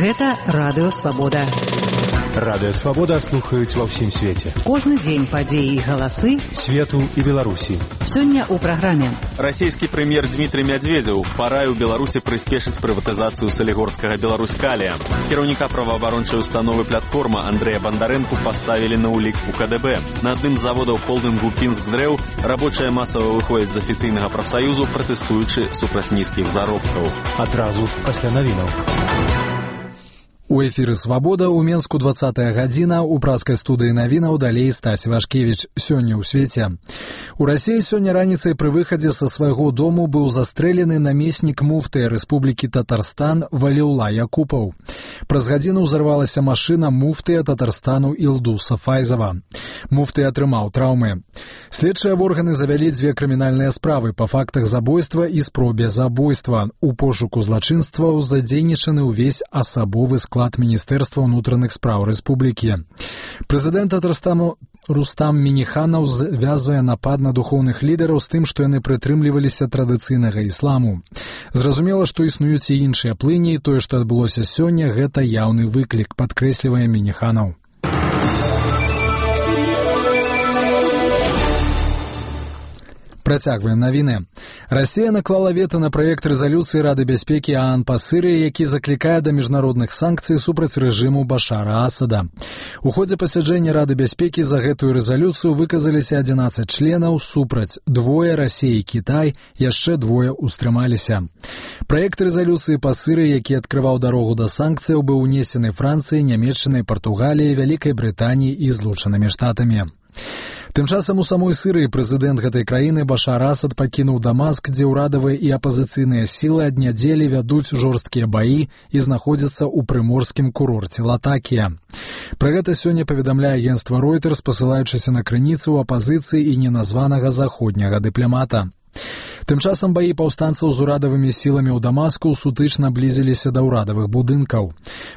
Гэта Радыё Свабода. Радыё Свабода слухаюць ва ўсім свеце. Кожны дзень падзеі і галасы свету і Беларусі. Сёння ў праграме. Расійскі прэм'ер Дмітрый Мядзведзеў параіў Беларусі прыспешыць прыватызацыю салігорскага Беларусь-Калія. Кіраўніка праваабарончай установы «Платформа» Андрэя Бандарэнку паставілі на ўлік у КДБ. На адным з заводаў холдынгу «Пінск-Дрэў» рабочая масава выходзіць з афіцыйнага прафсаюзу, пратэстуючы супраць нізкіх заробкаў. Адразу пасля навінаў. У эфіры «Свабода» ў Менску 20-я гадзіна, у праскай студыі навінаў далей Стась Вашкевіч. Сёння ў свеце. У Расіі сёння раніцай пры выхадзе са свайго дому быў застрэлены намеснік муфтыя Рэспублікі Татарстан Валіўла Якупаў. Праз гадзіну ўзарвалася машына муфтыя Татарстану Ілдуса Файзава. Муфты атрымаў траўмы. Следчыя органы завялі 2 крымінальныя справы па фактах забойства і спробе забойства. У пошуку злачынстваў задзейнічаны ўвесь асабовы склад Міністэрства ўнутраных спраў рэспублікі. Прэзідэнт Татарстану Рустам Мініханаў звязвае напад на духоўных лідараў з тым, што яны прытрымліваліся традыцыйнага ісламу. Зразумела, што існуюць і іншыя плыні, і тое, што адбылося сёння, гэта яўны выклік, падкрэслівае Мініханаў. Працягваем навіны. Расія наклала вета на праект рэзалюцыі Рады бяспекі ААН па Сырыі, які заклікае да міжнародных санкцый супраць рэжыму Башара Асада. У ходзе пасяджэння Рады бяспекі за гэтую рэзалюцыю выказаліся 11 членаў, супраць 2 Расія і Кітай, яшчэ 2 устрымаліся. Праект рэзалюцыі па Сырыі, які адкрываў дарогу да санкцыяў, быў унесены Францыяй, Нямецчынай, Партугаліяй, Вялікай Брытаніяй і Злучанымі Штатамі. Тым часам у самой Сырыі прэзідэнт гэтай краіны Башар Асад пакінуў Дамаск, дзе ўрадавыя і апазіцыйныя сілы ад нядзелі вядуць жорсткія баі і знаходзяцца ў прыморскім курорце Латакія. Пра гэта сёння паведамляе агенцтва Reuters, пасылаючыся на крыніцы ў апазіцыі і неназванага заходняга дыпламата. Тым часам баі паўстанцаў з урадавымі сіламі ў Дамаску сутычна блізіліся да ўрадавых будынкаў.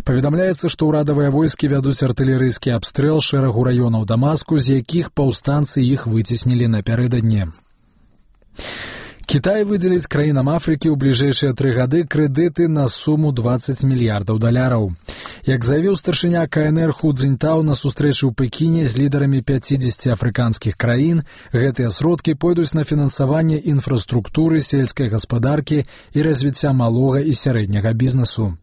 Паведамляецца, што ўрадавыя войскі вядуць артылерыйскі абстрэл шэрагу раёнаў Дамаску, з якіх паўстанцы іх выцеснілі напярэдадні. Кітай выдзеліць краінам Афрыкі ў бліжэйшыя 3 гады крэдыты на суму $20 мільярдаў. Як заявіў старшыня КНР Ху Цзіньтау на сустрэчы ў Пекіне з лідарамі 50 афрыканскіх краін, гэтыя сродкі пойдуць на фінансаванне інфраструктуры, сельскай гаспадаркі і развіцця малога і сярэдняга бізнесу.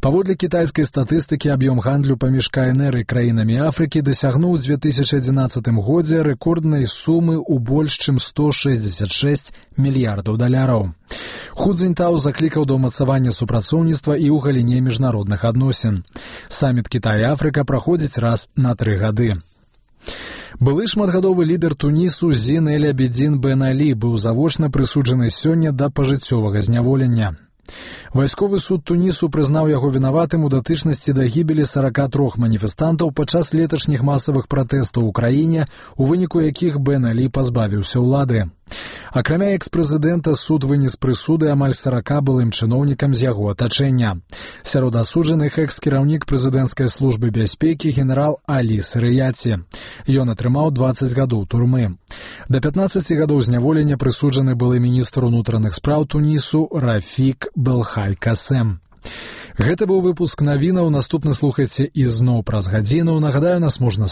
Паводле кітайскай статыстыкі, аб'ём гандлю паміж КНР і краінамі Афрыкі дасягнуў у 2011 годзе рэкорднай сумы ў больш чым $166 мільярдаў. Ху Цзіньтау заклікаў да ўмацавання супрацоўніцтва і ў галіне міжнародных адносін. Саміт Кітай і Афрыка праходзіць раз на 3 гады. Былы шматгадовы лідар Тунісу Зін Эль-Абідзін Бен Алі быў завочна прысуджаны сёння да пажыццёвага зняволення. Вайсковы суд Тунісу прызнаў яго вінаватым у датычнасці да гібелі 43 маніфестантаў падчас леташніх масавых пратэстаў у краіне, у выніку якіх Бен Алі пазбавіўся ўлады. Акрамя экс-прэзідэнта, суд вынес прысуды амаль 40 былым чыноўнікам з яго атачэння. Сярод асуджаных экс-кіраўнік прэзідэнцкай службы бяспекі генерал Алі Сырыяці. Ён атрымаў 20 гадоў турмы. Да 15 гадоў зняволення прысуджаны былы міністр унутраных спраў Тунісу Рафік Белхай Касем. Гэта быў выпуск навінаў. Наступны слухайце ізноў праз гадзіну. Нагадаю, нас можна